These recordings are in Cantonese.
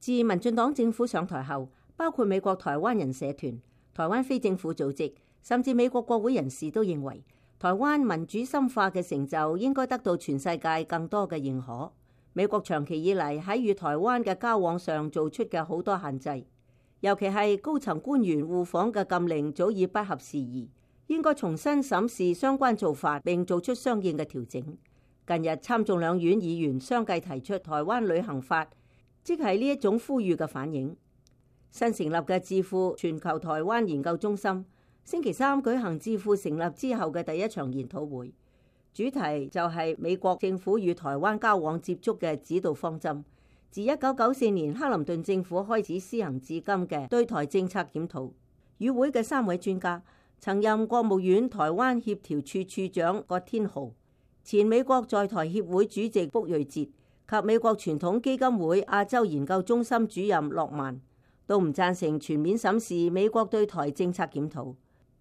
自民進黨政府上台後，包括美國台灣人社團、台灣非政府組織，甚至美國國會人士都認為，台灣民主深化嘅成就應該得到全世界更多嘅認可。美國長期以嚟喺與台灣嘅交往上做出嘅好多限制，尤其係高層官員互訪嘅禁令早已不合時宜，應該重新審視相關做法並做出相應嘅調整。近日參眾兩院議員相繼提出台灣旅行法，即係呢一種呼籲嘅反應。新成立嘅智庫全球台灣研究中心星期三舉行智庫成立之後嘅第一場研討會，主題就係美國政府與台灣交往接觸嘅指導方針，自1994年克林頓政府開始施行至今嘅對台政策檢討。與會嘅3位專家，曾任國務院台灣協調處處長葛天豪、前美國在台協會主席卜瑞哲及美國傳統基金會亞洲研究中心主任諾曼，都唔贊成全面審視美國對台政策檢討。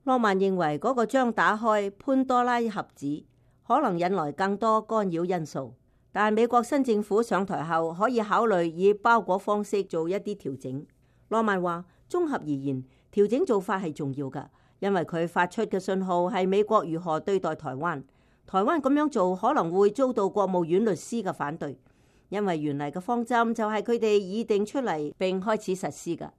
諾曼認為嗰個將打開潘多拉盒子，可能引來更多干擾因素。但美國新政府上台後，可以考慮以包裹方式做一啲調整。諾曼話：綜合而言，調整做法係重要㗎，因為佢發出嘅信號係美國如何對待台灣。台灣咁樣做可能會遭到國務院律師嘅反對，因為原嚟嘅方針就係佢哋擬定出嚟並開始實施㗎。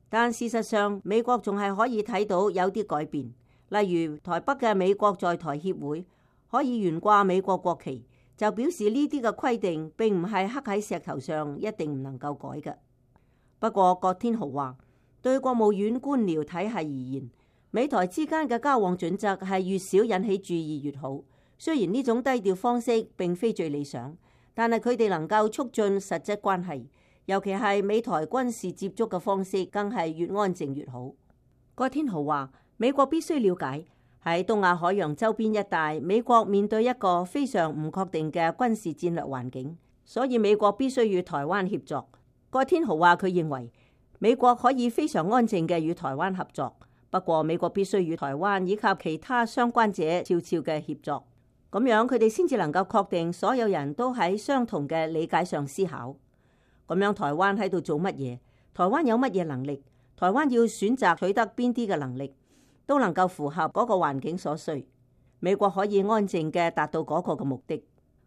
但事實上，美國仲係可以睇到有啲改變，例如台北嘅美國在台協會可以懸掛美國國旗，就表示呢啲嘅規定並唔係刻喺石頭上，一定唔能夠改嘅。不過葛天豪話，對國務院官僚體系而言，美台之間嘅交往準則係越少引起注意越好。雖然呢種低調方式並非最理想，但係佢哋能夠促進實質關係，尤其係美台軍事接觸嘅方式，更係越安靜越好。葛天豪話：美國必須了解喺東亞海洋周邊一帶，美國面對一個非常唔確定嘅軍事戰略環境，所以美國必須與台灣協作。葛天豪話：佢認為美國可以非常安靜嘅與台灣合作，不過美國必須與台灣以及其他相關者悄悄嘅協作。咁樣佢哋先至能夠確定所有人都喺相同嘅理解上思考。咁樣台灣喺度做乜嘢？台灣有乜嘢能力？台灣要選擇取得邊啲嘅能力，都能夠符合嗰個環境所需。美國可以安靜嘅達到嗰個嘅目的。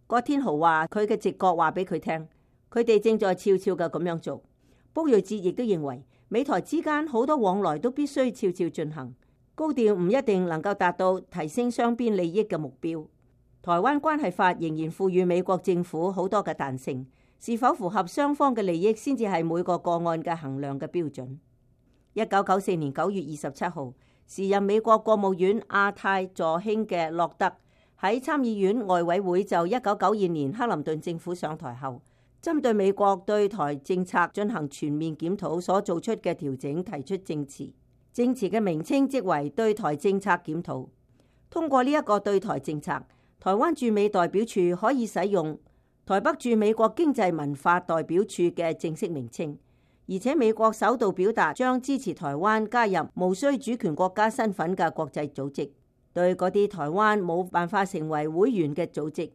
葛天豪話佢嘅直覺話俾佢聽，佢哋正在悄悄嘅咁樣做。卜瑞哲亦都認為美台之間好多往來都必須悄悄進行，高調唔一定能夠達到提升雙邊利益嘅目標。台灣關係法仍然賦予美國政府好多嘅彈性，是否符合雙方嘅利益先至係每個個案嘅衡量嘅標準。1994年9月27號，時任美國國務院亞太助卿嘅洛德喺參議院外委會就1992年克林頓政府上台後，針對美國對台政策進行全面檢討所做出嘅調整提出證詞，證詞嘅名稱即為對台政策檢討。通過呢一個對台政策，台灣駐美代表處可以使用台北駐美國經濟文化代表處嘅正式名稱，而且美國首度表達將支持台灣加入無需主權國家身份嘅國際組織。對嗰啲台灣冇辦法成為會員嘅組織，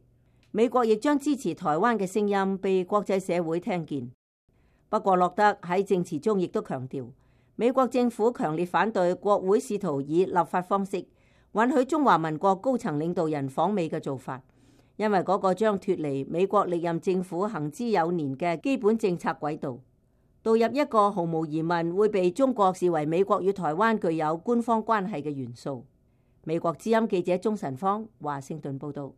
美國亦將支持台灣嘅聲音被國際社會聽見。不過洛德喺證詞中亦都強調，美國政府強烈反對國會試圖以立法方式允許中華民國高層領導人訪美嘅做法，因為嗰個將脫離美國歷任政府行之有年嘅基本政策軌道，導入一個毫無疑問會被中國視為美國與台灣具有官方關係嘅元素。美國之音記者鍾晨芳華盛頓報道。